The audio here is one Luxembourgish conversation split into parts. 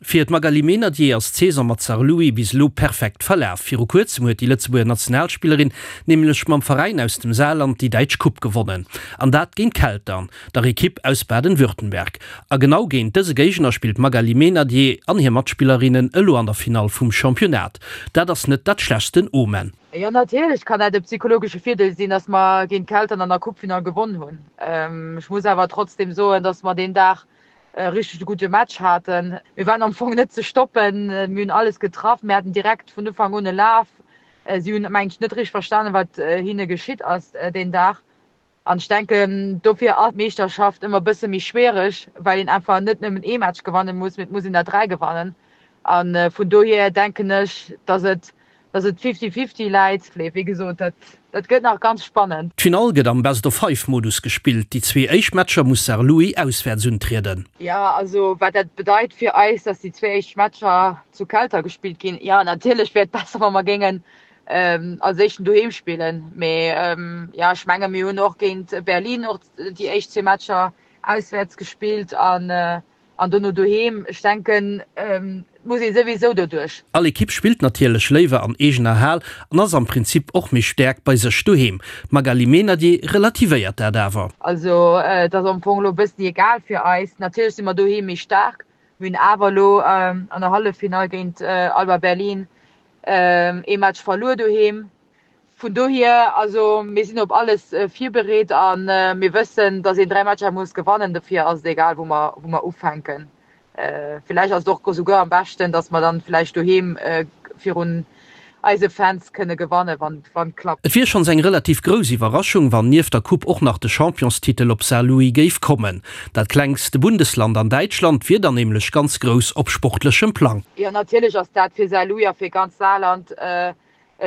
Fir d'Magali Meynadier ass d'Saison mat Saarlouis bis elo perfekt verlaf. Viru kuerzem huet déi Lëtzebuerger Nationalspillerin nämlech mam Veräin aus dem Saarland déi däitsch Coupe gewonnen. An dat géint Keltern, der Ekipp aus Baden-Württemberg. A genau géint dëse Géigner spillt d'Magali Meynadier an hir Matspillerinnen elo an der Finall vum Championnat. Dat ass net dat schlechtsten Omen. Jo, natierlech kann dat e psychologesche Virdeel sinn, dass mer géint Keltern an der Coupefinall gewonn hunn. Ech muss awer trotzdeem soen, dass mer deen Dag e richtege gudde Match haten. Mir waren am Fong net ze stoppen, mir hunn alles getraff, mir haten direkt vun Ufank un e Laf. Si hunn, mengen ech, net richteg verstanen, wat hinne geschitt ass deen Dag. An ech denken, dofir ass d'Meeschterschaft ëmmer e bësse méi schwiereg, well een einfach net nëmmen ee Match gewanne muss, mee et muss een der 3 gewannen. A vun dohier denken ech, datt et Dass et fifty-fifty läit, wéi gesot, dat dat gëtt nach ganz spannend. D'Finall gëtt am Best-of-Five-Modus gespillt. Déi zwee éischt Matcher muss Saarlouis auswäerts untrieden. Jo, also wat dat bedeit fir eis, dass déi zwee éischt Matcher zu Kelter gespillt ginn, jo natierlech wär et besser, wa mer géingen als éischten doheem spillen, mee jo ech menge mir hunn och géint Berlin och déi éischt zwee Matcher auswäerts gespillt an An dono doheem, ech denken, et muss ee souwisou doduerch. All Ekipp spillt natierlech léiwer an eegener Hal an ass am Prinzip och méi staark bei sech doheem. D'Magali Meynadier relativéiert dat awer. Also et ass am Fong elo e bëssen egal fir eis. Natierlech si mer doheem méi staark. Mir hunn awer elo an der Halleffinall géint Alba Berlin ee Match verluer doheem. Vun dohier, also mir sinn op alles virbereet a mir wëssen, datt een 3 Matcher muss gewannen. Dofir ass et egal, wou mer, wou mer ufänken. Villäicht ass et och esouguer am beschten, datt mer dann villäicht doheem virun eise Fans kënne gewannen, wann et klappt. Et wier schonns eng relativ grouss Iwwerraschung, wann nieft der Coupe och nach de Championstitel op Saarlouis géif kommen. Dat klengste Bundesland an Däitschland wier dann nämlech ganz grouss op sportlechem Plang. Jo, natierlech ass dat fir Saarlouis a fir ganz Saarland e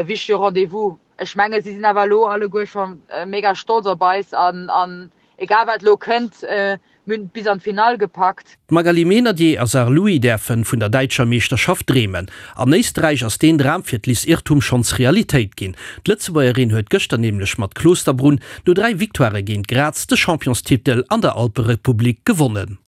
wichtege Rendez-vous. Ech menge si sinn awer elo alleguer scho mega stolz op eis an an egal wat elo kënnt, mir hunn et bis an d'Finall gepackt. D'Magali Meynadier a Saarlouis däerfen vun der däitscher Meeschterschaft dreemen. An Éisterräich ass deen Dram fir d'Liz Irrtum schonns Realitéit ginn. D'Lëtzebuergerin huet gëschter nämlech mat Klosterbrunn no 3 Victoirë géint Graz de Championstitel an der Alperepublik gewonnen.